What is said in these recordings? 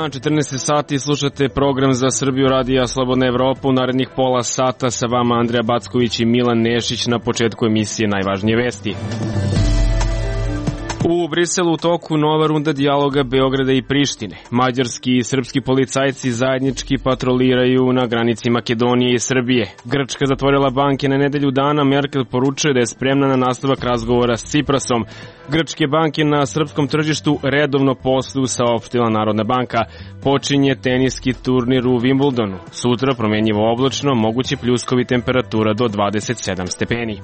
dan, 14 sati, slušate program za Srbiju radija Slobodna Evropa. U narednih pola sata sa vama Andreja Backović i Milan Nešić. Na početku emisije najvažnije vesti. U Briselu u toku nova runda dijaloga Beograda i Prištine. Mađarski i srpski policajci zajednički patroliraju na granici Makedonije i Srbije. Grčka zatvorila banke na nedelju dana. Merkel poručuje da je spremna na nastavak razgovora s Ciprasom. Grčke banke na srpskom tržištu redovno posluju, saopštila Narodna banka. Počinje teniski turnir u Wimbledonu. Sutra promenjivo oblačno, mogući pljuskovi, temperatura do 27 stepeni.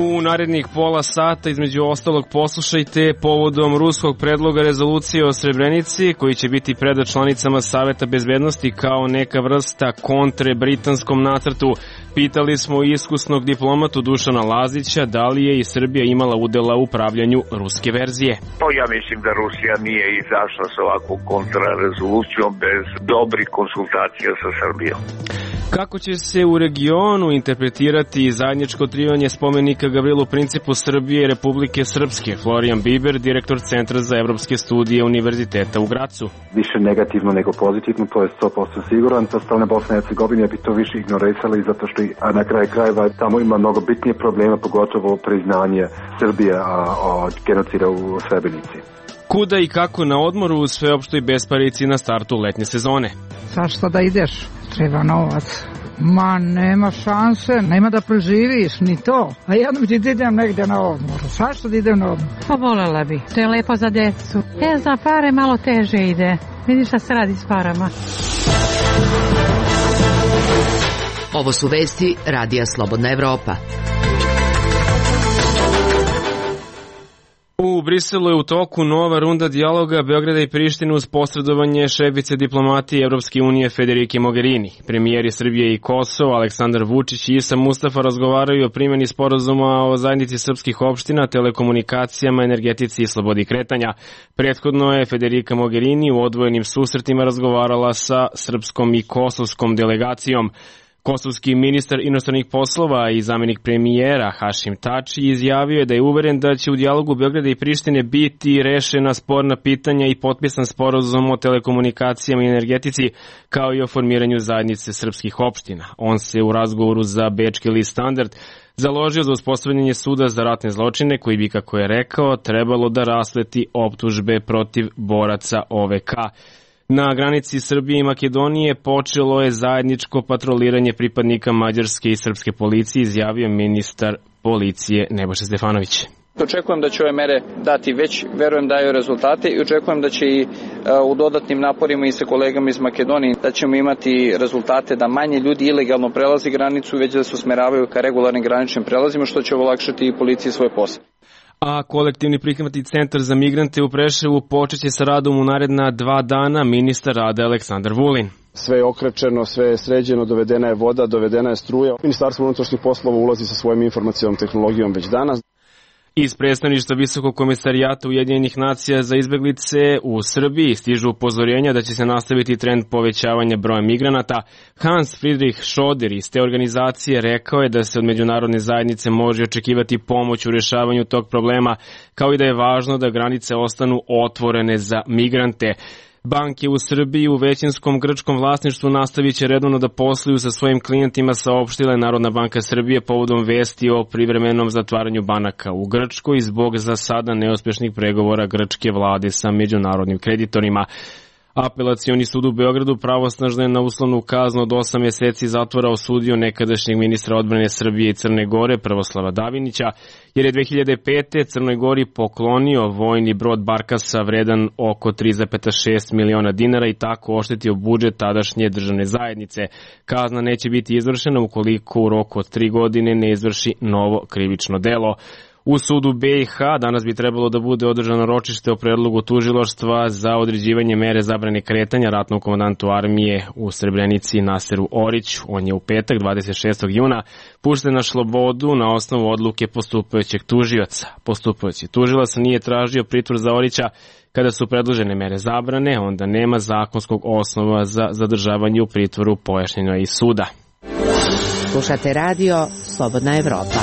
U narednih pola sata, između ostalog, poslušajte povodom ruskog predloga rezolucije o Srebrenici, koji će biti predat članicama Saveta bezbednosti kao neka vrsta kontre britanskom nacrtu. Pitali smo iskusnog diplomatu Dušana Lazića da li je i Srbija imala udela u upravljanju ruske verzije. Ja mislim da Rusija nije izašla sa ovakvom kontrarezolucijom bez dobrih konsultacija sa Srbijom. Kako će se u regionu interpretirati zajedničko otkrivanje spomenika Gavrilu Principu Srbije i Republike Srpske? Florijan Biber, direktor Centra za evropske studije Univerziteta u Gracu. Više negativno nego pozitivno, to je 100% siguran. Sa strane Bosne i Hercegovine bi to više ignorisali, zato što na kraju krajeva tamo ima mnogo bitnije problema, pogotovo priznanje Srbije od genocida u Srebrenici. Kuda i kako na odmoru u sveopštoj besparici na startu letnje sezone? Zašto da ideš? Treba novac. Ma, nema šanse, nema da preživiš, ni to. A jednom ti idem negde na odmor. Zašto da idem na odmor? Pa volela bi, to je lepo za decu. Za pare malo teže ide. Vidiš šta se radi s parama. Ovo su vesti radija Slobodna Evropa. U Briselu je u toku nova runda dijaloga Beograda i Prištine uz posredovanje šefice diplomatije Evropske unije Federike Mogherini. Premijeri Srbije i Kosova Aleksandar Vučić i Isa Mustafa razgovaraju o primjeni sporazuma o zajednici srpskih opština, telekomunikacijama, energetici i slobodi kretanja. Prethodno je Federika Mogherini u odvojenim susretima razgovarala sa srpskom i kosovskom delegacijom. Kosovski ministar inostranih poslova i zamenik premijera Hašim Tači izjavio je da je uveren da će u dijalogu Beograda i Prištine biti rešena sporna pitanja i potpisan sporazum o telekomunikacijama i energetici, kao i o formiranju zajednice srpskih opština. On se u razgovoru za bečki list Standard založio za uspostavljanje suda za ratne zločine, koji bi, kako je rekao, trebalo da rasleti optužbe protiv boraca OVK. Na granici Srbije i Makedonije počelo je zajedničko patroliranje pripadnika mađarske i srpske policije, izjavio ministar policije Nebojša Stefanović. Očekujem da će ove mere dati već, verujem daju rezultate i očekujem da će i u dodatnim naporima i sa kolegama iz Makedonije da ćemo imati rezultate da manje ljudi ilegalno prelazi granicu, već da se usmeravaju ka regularnim graničnim prelazima, što će olakšati i policiji svoj posao. A kolektivni prihvatni centar za migrante u Preševu počeće sa radom u naredna 2 dana, ministar rada Aleksandar Vulin. Sve je okrečeno, sve je sređeno, dovedena je voda, dovedena je struja. Ministarstvo unutrašnjih poslova ulazi sa svojom informacionom tehnologijom već danas. Iz predstavništva Visokog komisarijata Ujedinjenih nacija za izbeglice u Srbiji stižu upozorenja da će se nastaviti trend povećavanja broja migranata. Hans Friedrich Schoder iz te organizacije rekao je da se od međunarodne zajednice može očekivati pomoć u rješavanju tog problema, kao i da je važno da granice ostanu otvorene za migrante. Banke u Srbiji u većinskom grčkom vlasništvu nastavit će redovno da posluju sa svojim klijentima, saopštila je Narodna banka Srbije povodom vesti o privremenom zatvaranju banaka u Grčkoj zbog za sada neuspešnih pregovora grčke vlade sa međunarodnim kreditorima. Apelacioni sud u Beogradu pravosnažno je na uslovnu kaznu od 8 mjeseci zatvora osudio nekadašnjeg ministra odbrane Srbije i Crne Gore Prvoslava Davinića, jer je 2005. Crnoj Gori poklonio vojni brod Barkasa vredan oko 3,6 miliona dinara i tako oštetio budžet tadašnje državne zajednice. Kazna neće biti izvršena ukoliko u roku od 3 godine ne izvrši novo krivično delo. U sudu BiH danas bi trebalo da bude održano ročište o predlogu tužilaštva za određivanje mere zabrane kretanja ratnom komandantu armije u Srebrenici Naseru Oriću. On je u petak 26. juna pušten na slobodu na osnovu odluke postupajućeg tužioca. Postupajući tužilac nije tražio pritvor za Orića. Kada su predložene mere zabrane, onda nema zakonskog osnova za zadržavanje u pritvoru, pojašnjeno je iz suda. Slušate radio Slobodna Evropa.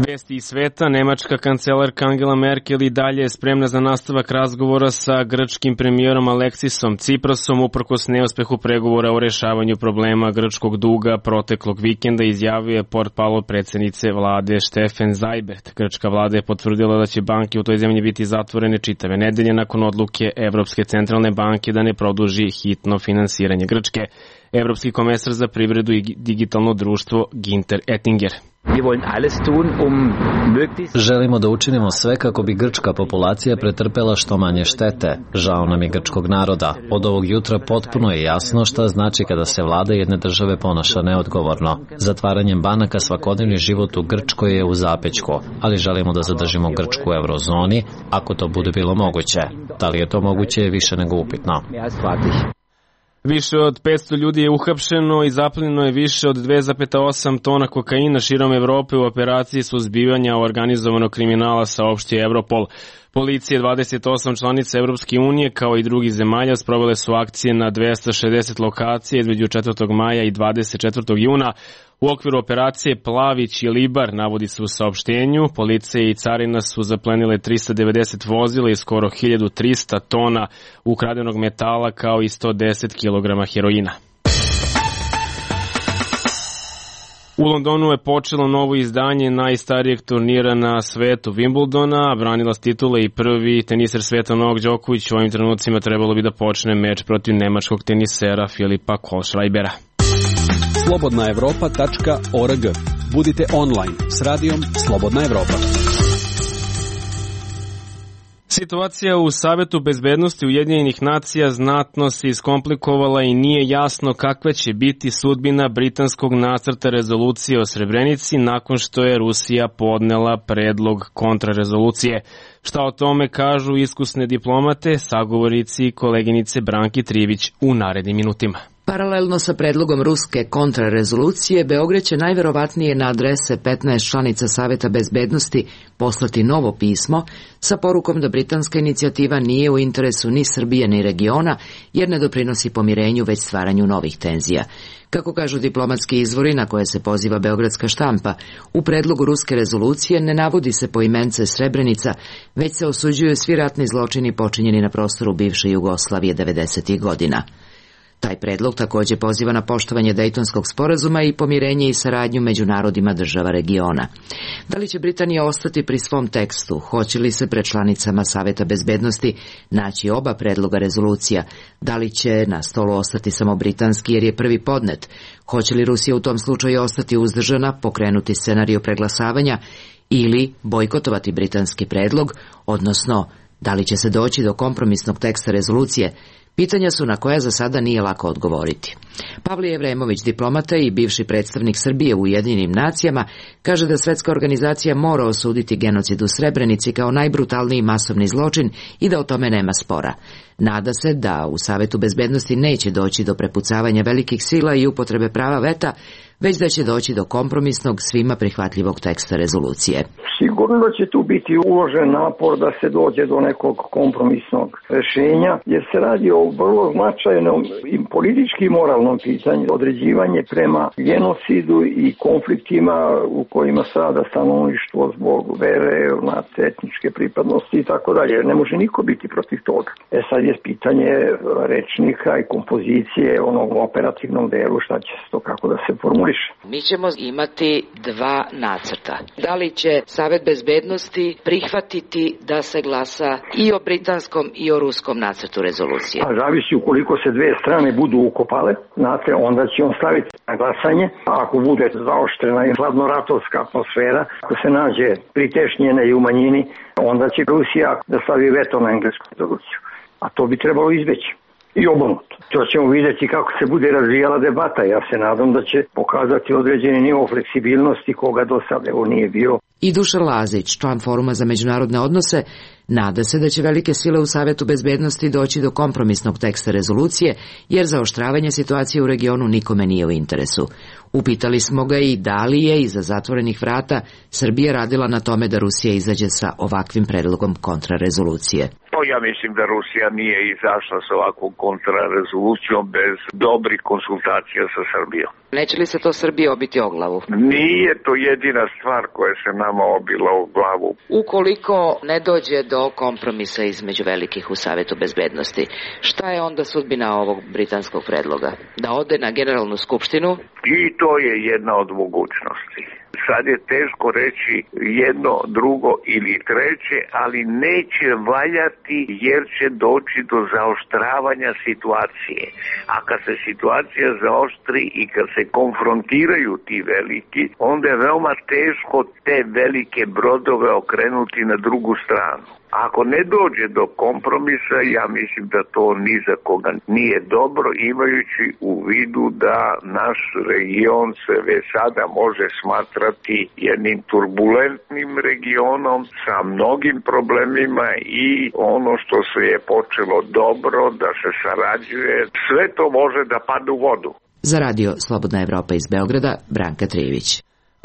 Vesti iz sveta, nemačka kancelarka Angela Merkel i dalje je spremna za nastavak razgovora sa grčkim premijerom Aleksisom Tsiprasom uprkos neuspehu pregovora o rešavanju problema grčkog duga proteklog vikenda, izjavio je portparol predsjednice vlade Steffen Seibert. Grčka vlada je potvrdila da će banke u toj zemlji biti zatvorene čitave nedelje nakon odluke Evropske centralne banke da ne produži hitno finansiranje Grčke. Evropski komesar za privredu i digitalno društvo Günther Oettinger. Želimo da učinimo sve kako bi grčka populacija pretrpela što manje štete. Žao nam je grčkog naroda. Od ovog jutra potpuno je jasno šta znači kada se vlada jedne države ponaša neodgovorno. Zatvaranjem banaka svakodnevni život u Grčkoj je u zapećku, ali želimo da zadržimo Grčku u eurozoni ako to bude bilo moguće. Da li je to moguće je više nego upitno. Više od 500 ljudi je uhapšeno i zaplenjeno je više od 2,8 tona kokaina širom Evrope u operaciji suzbivanja organizovanog kriminala, saopštio Europol. Policije 28 članica Evropske unije kao i drugih zemalja sprovele su akcije na 260 lokacija između 4. maja i 24. juna. U okviru operacije Plavić i Libar, navodi se u saopštenju, policija i carina su zaplenile 390 vozila i skoro 1300 tona ukradenog metala kao i 110 kg heroina. U Londonu je počelo novo izdanje najstarijeg turnira na svetu Wimbledona, branilac titule i prvi teniser sveta Novak Đoković u ovim trenucima trebalo bi da počne meč protiv nemačkog tenisera Filipa Kohlschreibera. slobodnaevropa.org. Budite online s radijom Slobodna Evropa. Situacija u Savetu bezbednosti Ujedinjenih nacija znatno se iskomplikovala i nije jasno kakva će biti sudbina britanskog nacrta rezolucije o Srebrenici nakon što je Rusija podnela predlog kontrarezolucije. Šta o tome kažu iskusne diplomate, sagovornici i koleginice Branki Trivić u narednim minutima. Paralelno sa predlogom ruske kontrarezolucije, Beograd će najverovatnije na adrese 15 članica Saveta bezbednosti poslati novo pismo sa porukom da britanska inicijativa nije u interesu ni Srbije ni regiona, jer ne doprinosi pomirenju već stvaranju novih tenzija. Kako kažu diplomatski izvori na koje se poziva beogradska štampa, u predlogu ruske rezolucije ne navodi se poimence Srebrenica, već se osuđuju svi ratni zločini počinjeni na prostoru bivše Jugoslavije 90. godina. Taj predlog također poziva na poštovanje Dejtonskog sporazuma i pomirenje i saradnju među narodima država regiona. Da li će Britanija ostati pri svom tekstu? Hoće li se pred članicama Saveta bezbednosti naći oba predloga rezolucija? Da li će na stolu ostati samo britanski jer je prvi podnet? Hoće li Rusija u tom slučaju ostati uzdržana, pokrenuti scenariju preglasavanja ili bojkotovati britanski predlog, odnosno da li će se doći do kompromisnog teksta rezolucije? Pitanja su na koja za sada nije lako odgovoriti. Pavle Evremović, diplomata i bivši predstavnik Srbije u Ujedinjenim nacijama, kaže da Svetska organizacija mora osuditi genocid u Srebrenici kao najbrutalniji masovni zločin i da o tome nema spora. Nada se da u Savetu bezbednosti neće doći do prepucavanja velikih sila i upotrebe prava veta, već da će doći do kompromisnog, svima prihvatljivog teksta rezolucije. Sigurno da će tu biti uložen napor da se dođe do nekog kompromisnog rešenja, jer se radi o vrlo značajnom i politički moralnom pitanju, određivanje prema genocidu i konfliktima u kojima strada stanovništvo zbog vere, etničke pripadnosti i tako dalje. Ne može niko biti protiv toga. Sad je pitanje rečnika i kompozicije onog operativnog delu, šta će se to, kako da se formulira. Mi ćemo imati dva nacrta. Da li će Savet bezbednosti prihvatiti da se glasa i o britanskom i o ruskom nacrtu rezolucije? A zavisi ukoliko se dve strane budu ukopale, znate, onda će on staviti na glasanje, a ako bude zaoštrena i hladnoratovska atmosfera, ako se nađe pritešnjene i u manjini, onda će Rusija da stavi veto na englesku rezoluciju. A to bi trebalo izbeći. I obrnuto. To ćemo vidjeti kako se bude razvijala debata. Ja se nadam da će pokazati određeni nivo fleksibilnosti koga do sada evo nije bio. I Dušan Lazić, član Foruma za međunarodne odnose, nada se da će velike sile u Savetu bezbednosti doći do kompromisnog teksta rezolucije, jer zaoštravanje situacije u regionu nikome nije u interesu. Upitali smo ga i da li je iza zatvorenih vrata Srbija radila na tome da Rusija izađe sa ovakvim predlogom kontrarezolucije. Pa ja mislim da Rusija nije izašla sa ovakvom kontrarezolucijom bez dobrih konsultacija sa Srbijom. Neće li se to Srbiji obiti o glavu? Nije to jedina stvar koja se nama obila o glavu. Ukoliko ne dođe do kompromisa između velikih u Savetu bezbednosti, šta je onda sudbina ovog britanskog predloga? Da ode na Generalnu skupštinu? I to je jedna od mogućnosti. Sad je teško reći jedno, drugo ili treće, ali neće valjati jer će doći do zaoštravanja situacije. A kad se situacija zaoštri i kad se konfrontiraju ti veliki, onda je veoma teško te velike brodove okrenuti na drugu stranu. Ako ne dođe do kompromisa, ja mislim da to ni za koga nije dobro, imajući u vidu da naš region se već sada može smatrati jednim turbulentnim regionom sa mnogim problemima i ono što se je počelo dobro, da se sarađuje, sve to može da padne u vodu. Za radio Slobodna Evropa iz Beograda, Branka Trijević.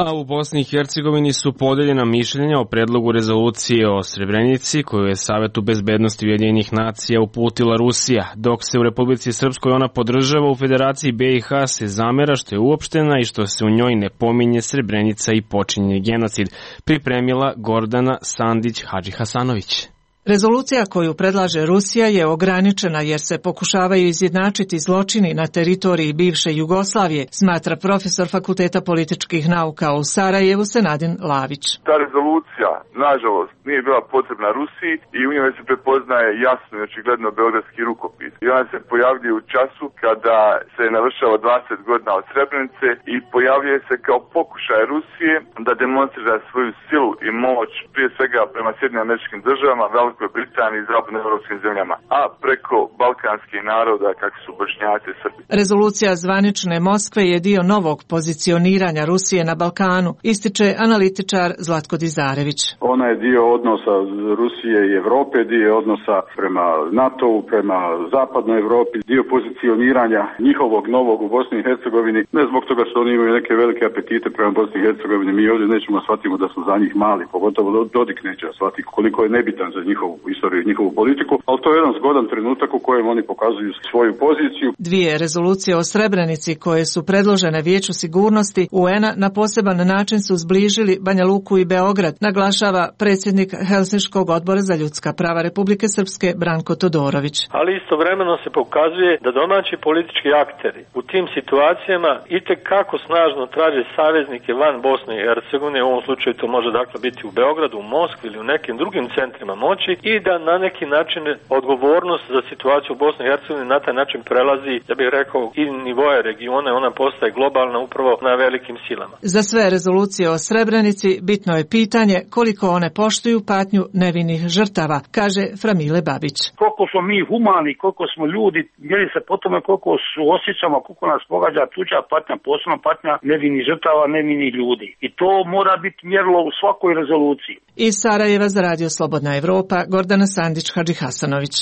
A u Bosni i Hercegovini su podeljena mišljenja o predlogu rezolucije o Srebrenici koju je Savetu bezbednosti Ujedinjenih nacija uputila Rusija, dok se u Republici Srpskoj ona podržava, u Federaciji BiH se zamera što je uopštena i što se u njoj ne pominje Srebrenica i počinjen genocid, pripremila Gordana Sandić-Hadžihasanović. Rezolucija koju predlaže Rusija je ograničena jer se pokušavaju izjednačiti zločini na teritoriji bivše Jugoslavije, smatra profesor Fakulteta političkih nauka u Sarajevu Senadin Lavić. Ta rezolucija, nažalost, nije bila potrebna Rusiji i u njoj se prepoznaje jasno i očigledno beogradski rukopis. I ona se pojavljuje u času kada se navršava 20 godina od Srebrenice i pojavljuje se kao pokušaj Rusije da demonstrira svoju silu i moć prije svega prema Sjedinjenim Američkim Državama, Velikoj Britaniji i zapadnoevropskim zemljama, a preko balkanskih naroda kakvi su Bošnjaci i Srbi. Rezolucija zvanične Moskve je dio novog pozicioniranja Rusije na Balkanu, ističe analitičar Zlatko Dizarević. Ona je dio odnosa Rusije i Evrope, dio odnosa prema NATO-u, prema zapadnoj Evropi, dio pozicioniranja njihovog novog u Bosni i Hercegovini, ne zbog toga što oni imaju neke velike apetite prema Bosni i Hercegovini, mi ovdje nećemo shvatimo da su za njih mali, pogotovo Dodik neće shvatiti koliko je nebitan za njihovu istoriju i njihovu politiku, ali to je jedan zgodan trenutak u kojem oni pokazuju svoju poziciju. Dvije rezolucije o Srebrenici koje su predložene Vijeću sigurnosti UN-a na poseban način su zbližili Banja Luku i Beograd, naglašava predsjednik Helsinškog odbora za ljudska prava Republike Srpske Branko Todorović. Ali istovremeno se pokazuje da domaći politički akteri u tim situacijama itekako snažno traže saveznike van Bosne i Hercegovine, u ovom slučaju to može dakle biti u Beogradu, u Moskvi ili u nekim drugim centrima moći, i da na neki način odgovornost za situaciju u Bosni i Hercegovini na taj način prelazi, ja bih rekao, i nivoje regiona, ona postaje globalna upravo na velikim silama. Za sve rezolucije o Srebrenici bitno je pitanje koliko one poštuju patnju nevinih žrtava, kaže Framile Babić. Koliko smo mi humani, koliko smo ljudi, mjeri se po tome koliko su osjećamo, koliko nas pogađa tuđa patnja, posebno patnja nevinih žrtava, nevinih ljudi. I to mora biti mjerilo u svakoj rezoluciji. Iz Sarajeva za radio Slobodna Evropa, Gordana Sandić-Hadžihasanović.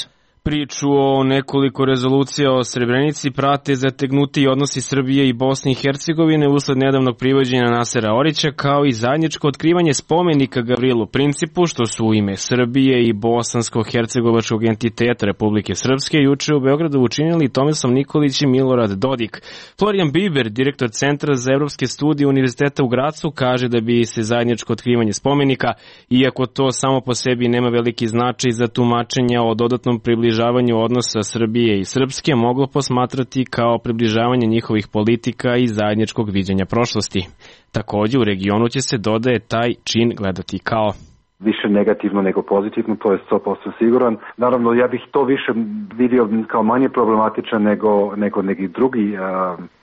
Priču o nekoliko rezolucija o Srebrenici prate zategnuti odnosi Srbije i Bosne i Hercegovine usled nedavnog privođenja Nasera Orića, kao i zajedničko otkrivanje spomenika Gavrilu Principu, što su u ime Srbije i bosansko-hercegovačkog entiteta Republike Srpske juče u Beogradu učinili Tomislav Nikolić i Milorad Dodik. Florijan Biber, direktor Centra za evropske studije Univerziteta u Gracu, kaže da bi se zajedničko otkrivanje spomenika, iako to samo po sebi nema veliki značaj za tumačenja o dodatnom približavanju odnosa Srbije i Srpske, moglo posmatrati kao približavanje njihovih politika i zajedničkog viđenja prošlosti. Također u regionu će se, dodaje, taj čin gledati kao više negativno nego pozitivno, to je 100% siguran. Naravno, ja bih to više vidio kao manje problematičan nego neki drugi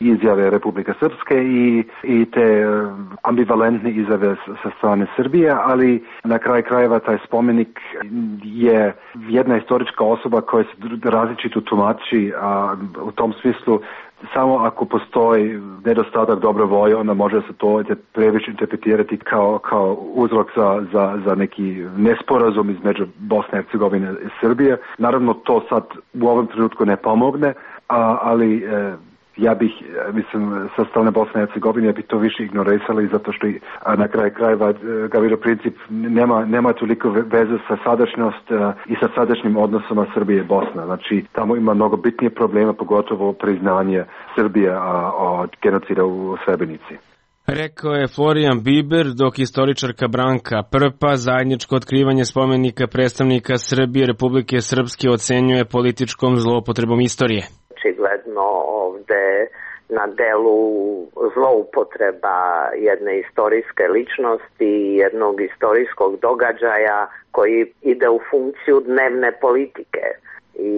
izjave Republike Srpske i te ambivalentne izjave sa strane Srbije, ali na kraj krajeva taj spomenik je jedna historička osoba koja se različito tumači, u tom smislu samo ako postoji nedostatak dobre volje, onda može se to previše interpretirati kao uzrok za neki nesporazum između Bosne i Hercegovine i Srbije. Naravno, to sad u ovom trenutku ne pomogne, ali Ja bih, sa strane Bosne i Hercegovine bi to više ignorisali zato što na kraju krajeva Gavrilo Princip nema toliko veze sa sadašnjost i sa sadašnjim odnosima Srbije i Bosna. Znači, tamo ima mnogo bitnije problema, pogotovo priznanje Srbije od genocida u Srebrenici. Rekao je Florian Biber, dok istoričarka Branka Prpa zajedničko otkrivanje spomenika predstavnika Srbije Republike Srpske ocenjuje političkom zloupotrebom istorije. Očigledno ovde na delu zloupotreba jedne istorijske ličnosti, jednog istorijskog događaja koji ide u funkciju dnevne politike. I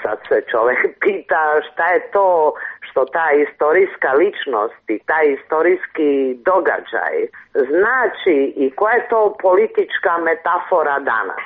sad se čovjek pita šta je to što ta istorijska ličnost i taj istorijski događaj znači i koja je to politička metafora danas.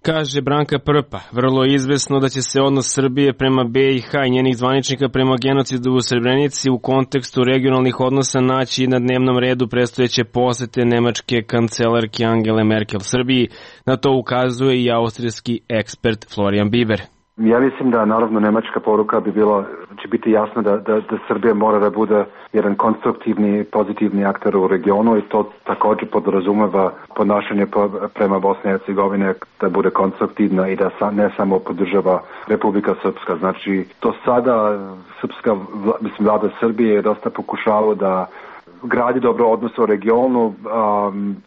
Kaže Branka Prpa, vrlo je izvesno da će se odnos Srbije prema BiH i njenih zvaničnika prema genocidu u Srebrenici u kontekstu regionalnih odnosa naći na dnevnom redu predstojeće posete nemačke kancelarke Angele Merkel Srbiji. Na to ukazuje i austrijski ekspert Florian Biber. Ja mislim da naravno nemačka poruka bi bila, će biti jasno da Srbija mora da bude jedan konstruktivni, pozitivni aktor u regionu i to također podrazumeva ponašanje prema Bosne i Hercegovine da bude konstruktivna i da ne samo podržava Republika Srpska. Znači, to sada srpska, vlada Srbije je dosta pokušala da gradi dobro odnose u regionu,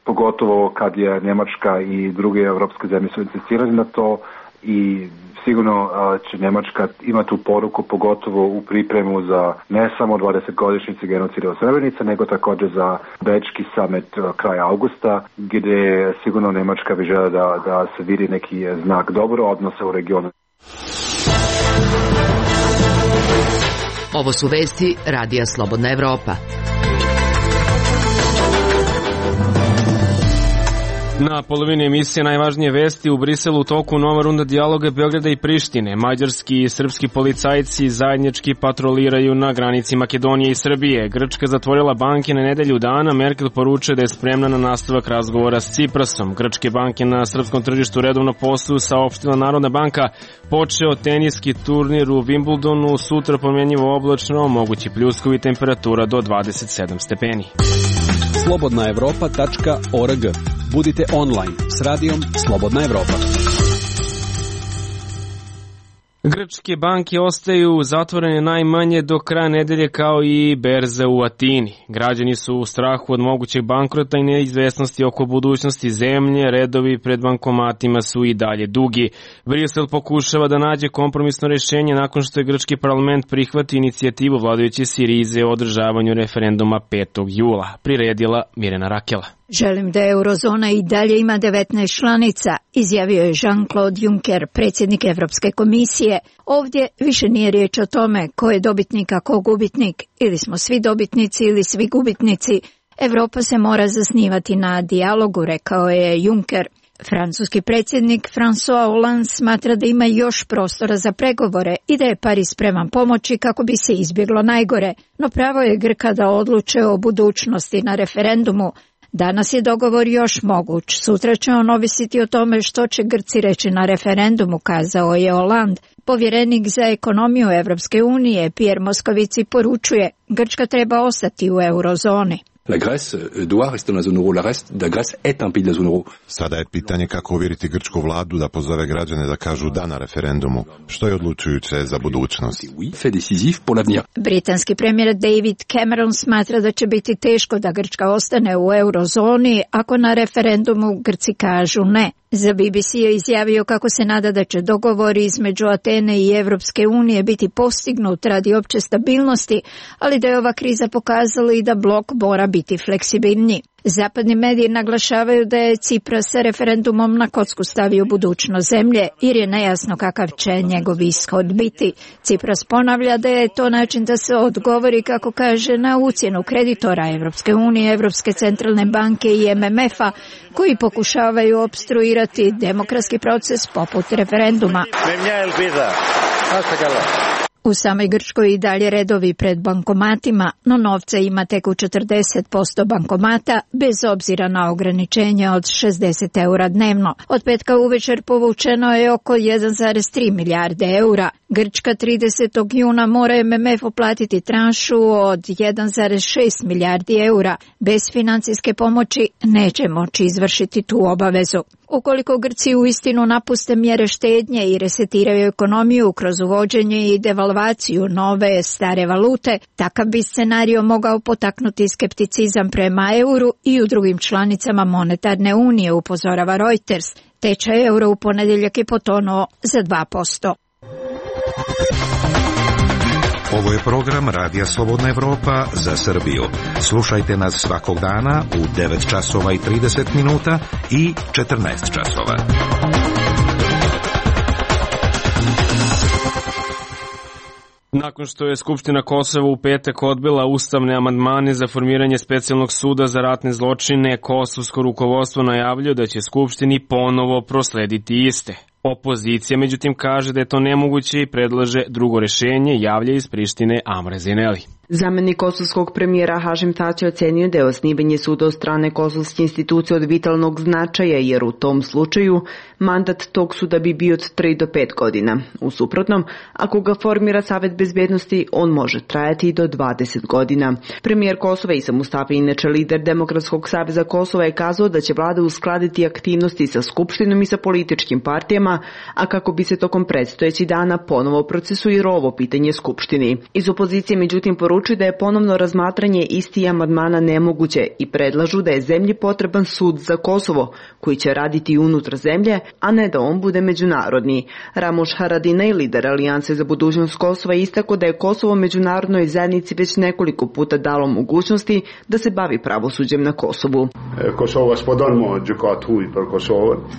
pogotovo kad je Njemačka i druge evropske zemlje su insistirali na to i sigurno će Njemačka imati tu poruku pogotovo u pripremu za ne samo 20-godišnjice genocida u Srebrenici, nego također za Bečki summit kraja augusta, gdje sigurno Njemačka bi žela da se vidi neki znak dobro odnosa u regionu. Ovo su vesti Radija Slobodna Evropa. Na polovini emisije najvažnije vesti u Briselu u toku nova runda dijaloga Beograda i Prištine. Mađarski i srpski policajci zajednički patroliraju na granici Makedonije i Srbije. Grčka zatvorila banke na nedelju dana. Merkel poručuje da je spremna na nastavak razgovora s Ciprasom. Grčke banke na srpskom tržištu redovno posluju, saopštila Narodna banka. Počeo teniski turnir u Wimbledonu, sutra promjenjivo oblačno, mogući pljuskovi, temperatura do 27 stepeni. Slobodnaevropa.org. Budite online s radijom Slobodna Evropa. Grčke banke ostaju zatvorene najmanje do kraja nedelje kao i berze u Atini. Građani su u strahu od mogućeg bankrota i neizvesnosti oko budućnosti zemlje, redovi pred bankomatima su i dalje dugi. Brisel pokušava da nađe kompromisno rješenje nakon što je grčki parlament prihvatio inicijativu vladajuće Sirize o održavanju referenduma 5. jula. Priredila Mirjana Rakela. Želim da eurozona i dalje ima 19 članica, izjavio je Jean-Claude Juncker, predsjednik Evropske komisije. Ovdje više nije riječ o tome ko je dobitnik, a ko gubitnik. Ili smo svi dobitnici ili svi gubitnici. Evropa se mora zasnivati na dijalogu, rekao je Juncker. Francuski predsjednik François Hollande smatra da ima još prostora za pregovore i da je Pariz spreman pomoći kako bi se izbjeglo najgore. No pravo je Grka da odluče o budućnosti na referendumu. Danas je dogovor još moguć. Sutra će on ovisiti o tome što će Grci reći na referendumu, kazao je Hollande. Povjerenik za ekonomiju Evropske unije Pierre Moscovici poručuje: Grčka treba ostati u eurozoni. La Grèce doit rester dans la zone euro. La Grèce est un pays de la zone euro. Sada je pitanje kako uvjeriti grčku vladu da pozove građane da kažu da na referendumu, što je odlučujuće za budućnost. Britanski premijer David Cameron smatra da će biti teško da Grčka ostane u eurozoni ako na referendumu Grci kažu ne. Za BBC je izjavio kako se nada da će dogovori između Atene i Evropske unije biti postignut radi opće stabilnosti, ali da je ova kriza pokazala i da blok mora biti fleksibilniji. Zapadni mediji naglašavaju da je Cipras sa referendumom na kocku stavio budućnost zemlje, jer je nejasno kakav će njegov ishod biti. Cipras ponavlja da je to način da se odgovori, kako kaže, na ucjenu kreditora Evropske unije, Evropske centralne banke i MMF-a, koji pokušavaju opstruirati demokratski proces poput referenduma. U samoj Grčkoj i dalje redovi pred bankomatima, no novca ima tek u 40% bankomata, bez obzira na ograničenje od 60 eura dnevno. Od petka uvečer povučeno je oko 1,3 milijarde eura. Grčka 30. juna mora MMF uplatiti tranšu od 1,6 milijardi eura. Bez financijske pomoći neće moći izvršiti tu obavezu. Ukoliko Grci uistinu napuste mjere štednje i resetiraju ekonomiju kroz uvođenje i devalvaciju nove stare valute, takav bi scenario mogao potaknuti skepticizam prema euru i u drugim članicama monetarne unije, upozorava Reuters. Tečaj eura u ponedjeljak je potonuo za 2%. Ovo je program Radija Slobodna Evropa za Srbiju. Slušajte nas svakog dana u 9 časova i 30 minuta i 14 časova. Nakon što je Skupština Kosova u petak odbila ustavne amandmane za formiranje specijalnog suda za ratne zločine, kosovsko rukovodstvo najavljuje da će Skupštini ponovo proslediti iste. Opozicija, međutim, kaže da je to nemoguće i predlaže drugo rešenje, javlja iz Prištine Amra Zineli. Zamenik kosovskog premijera Hašim Tači ocenio da je osnivanje suda od strane kosovske institucije od vitalnog značaja, jer u tom slučaju mandat tog suda bi bio od 3 do 5 godina. U suprotnom, ako ga formira Savet bezbednosti, on može trajati i do 20 godina. Premijer Kosova Isa Mustafa, inače lider Demokratskog saveza Kosova, je kazao da će vlada uskladiti aktivnosti sa Skupštinom i sa političkim partijama, a kako bi se tokom predstojećih dana ponovo procesuiralo ovo pitanje Skupštini. Iz opozicije, međutim, poručuju da je ponovno razmatranje istih amandmana nemoguće i predlažu da je zemlji potreban sud za Kosovo, koji će raditi unutar zemlje, a ne da on bude međunarodni. Ramuš Haradinaj, lider Alijanse za budućnost Kosova, istakao da je Kosovo međunarodnoj zajednici već nekoliko puta dalo mogućnosti da se bavi pravosuđem na Kosovu.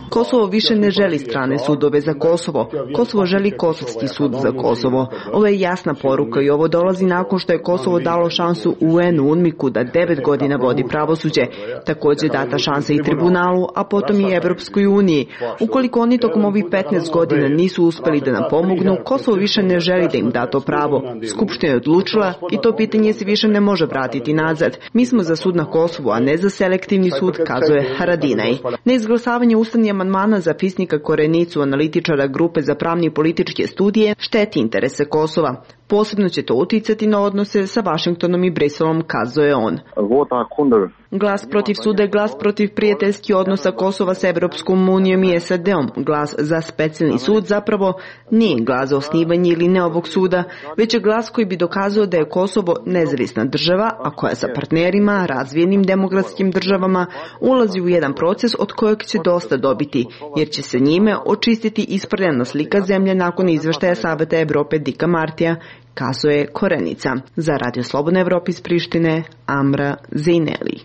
Kosovo više ne želi strane sudove za Kosovo. Kosovo želi kosovski sud za Kosovo. Ovo je jasna poruka i ovo dolazi nakon što je Kosovo dalo šansu UN-u UNMIK-u da 9 godina vodi pravosuđe. Također data šansa i tribunalu, a potom i Evropskoj uniji. Ukoliko oni tokom ovih 15 godina nisu uspeli da nam pomognu, Kosovo više ne želi da im da to pravo. Skupština je odlučila i to pitanje se više ne može vratiti nazad. Mi smo za sud na Kosovu, a ne za selektivni sud, kazuje Haradinaj. Neizglasavanje ustavnih amandmana za Fisnika Korenicu, analitičara grupe za pravne i političke studije, šteti interese Kosova. Posebno će to uticati na odnose sa Vašingtonom i Briselom, kazuje on. Glas protiv suda je glas protiv prijateljskih odnosa Kosova sa Evropskom unijom i SAD-om. Glas za specijalni sud zapravo nije glas za osnivanje ili ne ovog suda, već je glas koji bi dokazao da je Kosovo nezavisna država, a koja sa partnerima, razvijenim demokratskim državama, ulazi u jedan proces od kojeg će dosta dobiti, jer će se njime očistiti isprljena slika zemlje nakon izveštaja Saveta Evrope Dika Martija, kazuje Korenica. Za Radio Slobodna Evropa iz Prištine, Amra Zejneli.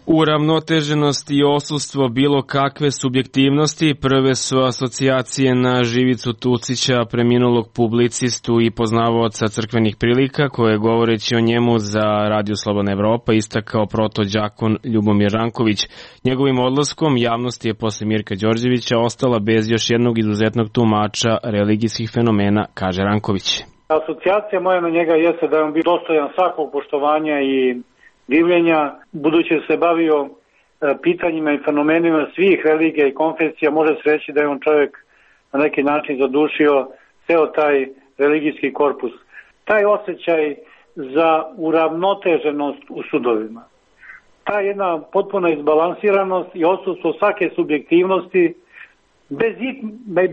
Uravnoteženost i osustvo bilo kakve subjektivnosti prve su asocijacije na Živicu Tucića, preminulog publicistu i poznavaoca crkvenih prilika, koje govoreći o njemu za Radio Slobodna Evropa istakao protođakon Ljubomir Ranković. Njegovim odlaskom javnost je posle Mirka Đorđevića ostala bez još jednog izuzetnog tumača religijskih fenomena, kaže Ranković. Asocijacija moja na njega jeste da je on bio dostojan svakog poštovanja i divljenja, budući da se bavio pitanjima i fenomenima svih religija i konfesija, može se reći da je on čovjek na neki način zadušio ceo taj religijski korpus. Taj osjećaj za uravnoteženost u sudovima, ta jedna potpuna izbalansiranost i odsustvo svake subjektivnosti,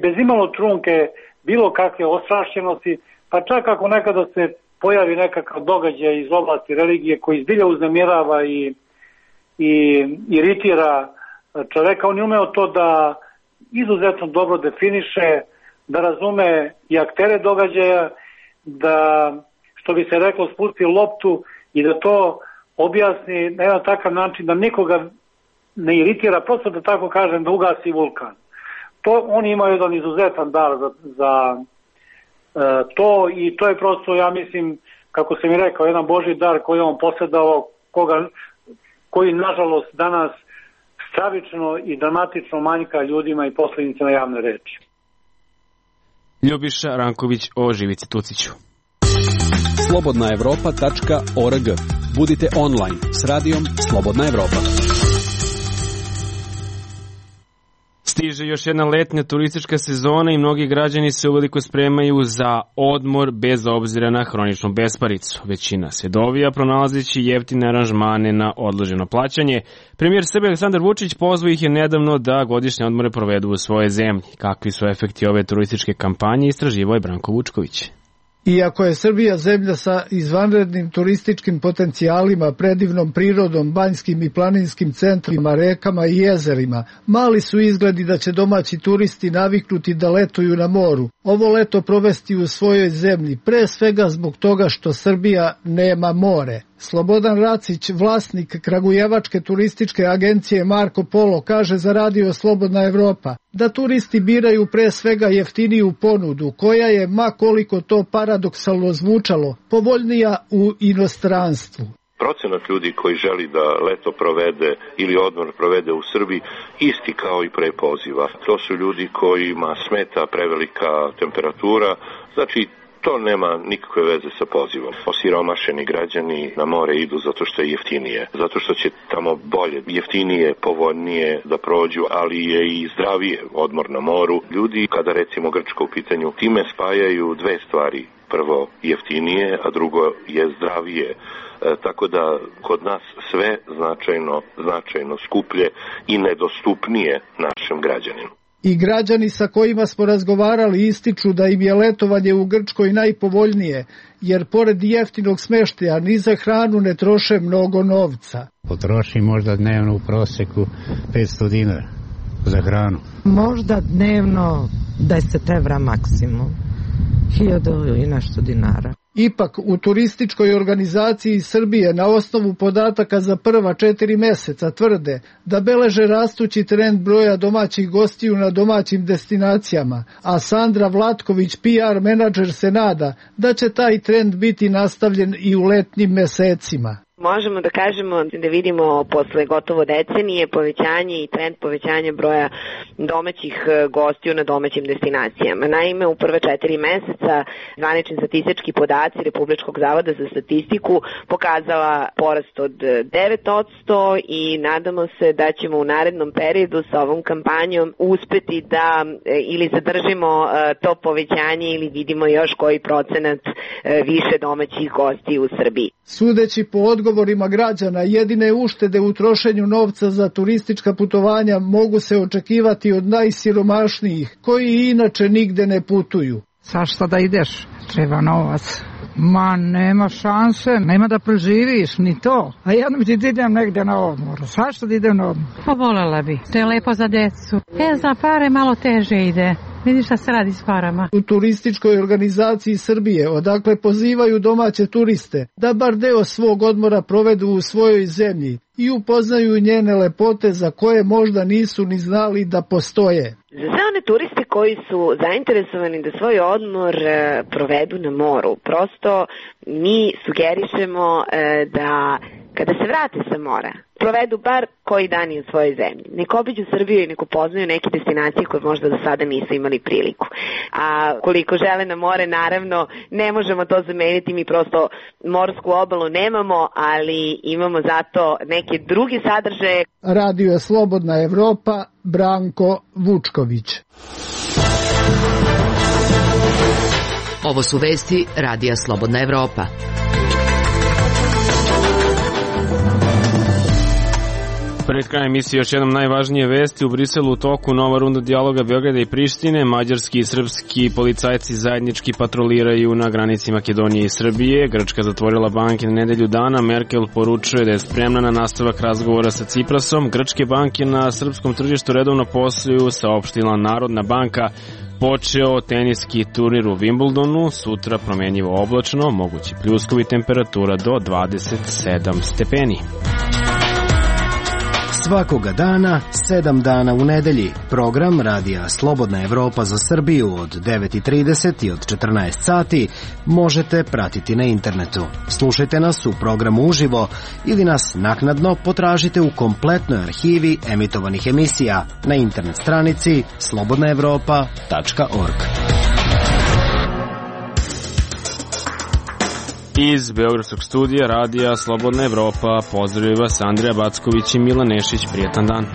bez imalo trunke bilo kakve ostrašćenosti, pa čak ako nekada se pojavi nekakav događaj iz oblasti religije koji zbilja uznemirava i iritira čoveka, on je umeo to da izuzetno dobro definiše, da razume i aktere događaja, da, što bi se reklo, spusti loptu i da to objasni na jedan takav način da nikoga ne iritira, prosto da tako kažem, da ugasi vulkan. On ima jedan izuzetan dar za to i to je prosto, ja mislim, kako sam i rekao, jedan Božji dar koji je on posjedao, koji nažalost danas stravično i dramatično manjka ljudima i poslednicama javne reči. Ljubiša Ranković o Živici Tuciću. slobodnaevropa.org. Budite online s radijom Slobodna Evropa. Stiže još jedna letnja turistička sezona i mnogi građani se uveliko spremaju za odmor bez obzira na hroničnu besparicu. Većina se dovija pronalazeći jeftine aranžmane na odloženo plaćanje. Premijer Srbije Aleksandar Vučić pozvao ih je nedavno da godišnje odmore provedu u svojoj zemlji. Kakvi su efekti ove turističke kampanje, istraživao je Branko Vučković. Iako je Srbija zemlja sa izvanrednim turističkim potencijalima, predivnom prirodom, banjskim i planinskim centrima, rekama i jezerima, mali su izgledi da će domaći turisti naviknuti da letuju na moru. Ovo leto provesti u svojoj zemlji, pre svega zbog toga što Srbija nema more. Slobodan Racić, vlasnik kragujevačke turističke agencije Marko Polo, kaže za radio Slobodna Evropa da turisti biraju pre svega jeftiniju ponudu, koja je, ma koliko to paradoksalno zvučalo, povoljnija u inostranstvu. Procenat ljudi koji želi da leto provede ili odmor provede u Srbiji isti kao i pre poziva. To su ljudi kojima smeta prevelika temperatura, znači to nema nikakve veze sa pozivom. Osiromašeni građani na more idu zato što je jeftinije, zato što će tamo bolje, jeftinije, povoljnije da prođu, ali je i zdravije odmor na moru. Ljudi, kada recimo Grčka u pitanju, time spajaju dve stvari. Prvo jeftinije, a drugo je zdravije. Tako da kod nas sve značajno skuplje i nedostupnije našem građaninu. I građani sa kojima smo razgovarali ističu da im je letovanje u Grčkoj najpovoljnije, jer pored jeftinog smeštaja ni za hranu ne troše mnogo novca. Potroši možda dnevno u proseku 500 dinara za hranu. Možda dnevno 10 evra maksimum, 1000 i nešto dinara. Ipak, u turističkoj organizaciji Srbije na osnovu podataka za prva 4 meseca tvrde da beleže rastući trend broja domaćih gostiju na domaćim destinacijama, a Sandra Vlatković, PR menadžer, se nada da će taj trend biti nastavljen i u letnjim mesecima. Možemo da kažemo da vidimo posle gotovo decenije povećanje i trend povećanja broja domaćih gostiju na domaćim destinacijama. Naime, u prve 4 meseca zvanični statistički podaci Republičkog zavoda za statistiku pokazala porast od 9% i nadamo se da ćemo u narednom periodu sa ovom kampanjom uspeti da ili zadržimo to povećanje ili vidimo još koji procenat više domaćih gostiju u Srbiji. Sudeći po odgovorima građana, jedine uštede u trošenju novca za turistička putovanja mogu se očekivati od najsiromašnijih, koji inače nigde ne putuju. Zašto da ideš? Treba novac. Ma, nema šanse, nema da preživiš, ni to. A jednom ti idem negde na odmor. Zašto da idem na odmor? Pa voljela bi, to je lepo za decu. Za pare malo teže ide. Vidiš šta se radi s parama. U turističkoj organizaciji Srbije, odakle pozivaju domaće turiste da bar deo svog odmora provedu u svojoj zemlji i upoznaju njene lepote za koje možda nisu ni znali da postoje. Za sve one turiste koji su zainteresovani da svoj odmor provedu na moru, prosto mi sugerišemo da kada se vrate sa mora, provedu bar koji dan u svojoj zemlji. Nek obiđu Srbiju i nek upoznaju neke destinacije koje možda do sada nisu imali priliku. A koliko žele na more, naravno, ne možemo to zameniti, mi prosto morsku obalu nemamo, ali imamo zato neke druge sadržaje. Radio Slobodna Evropa, Branko Vučković. Ovo su vesti Radija Slobodna Evropa. Pred krajem emisije još jednom najvažnije vesti. U Briselu u toku nova runda dijaloga Beograda i Prištine. Mađarski i srpski policajci zajednički patroliraju na granici Makedonije i Srbije. Grčka zatvorila banke na nedelju dana. Merkel poručuje da je spremna na nastavak razgovora sa Ciprasom. Grčke banke na srpskom tržištu redovno posluju, saopštila Narodna banka. Počeo teniski turnir u Wimbledonu, sutra promenjivo oblačno, mogući pljuskovi, temperatura do 27 stepeni. Svakoga dana, 7 dana u nedelji. Program Radija Slobodna Evropa za Srbiju od 9:30 i od 14 sati možete pratiti na internetu. Slušajte nas u programu uživo ili nas naknadno potražite u kompletnoj arhivi emitovanih emisija na internet stranici slobodnaevropa.org. Iz Beogradskog studija Radija Slobodna Evropa pozdravljaju vas Andrija Backović i Milan Nešić. Prijetan dan.